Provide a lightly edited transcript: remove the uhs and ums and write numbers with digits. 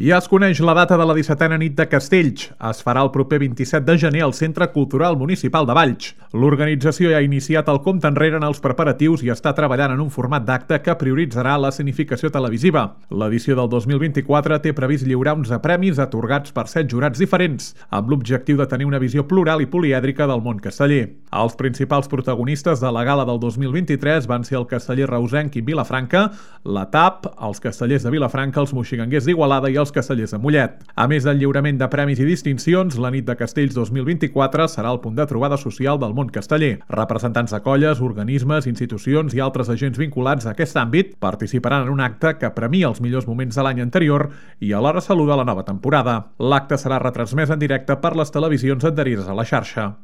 Ja es coneix la data de la 17a nit de Castells. Es farà el proper 27 de gener al Centre Cultural Municipal de Valls. L'organització ja ha iniciat el compte enrere en els preparatius i està treballant en un format d'acte que prioritzarà la escenificació televisiva. L'edició del 2024 té previst lliurar 11 premis atorgats per 7 jurats diferents, amb l'objectiu de tenir una visió plural i polièdrica del món casteller. Els principals protagonistes de la gala del 2023 van ser el casteller reusenc i Vilafranca, la TAP, els castellers de Vilafranca, els moxiganguers d'Igualada i els castellers de Mollet. A més del lliurament de premis i distincions, la nit de Castells 2024 serà el punt de trobada social del món casteller. Representants de colles, organismes, institucions i altres agents vinculats a aquest àmbit participaran en un acte que premia els millors moments de l'any anterior i alhora saluda la nova temporada. L'acte serà retransmès en directe per les televisions adherides a la xarxa.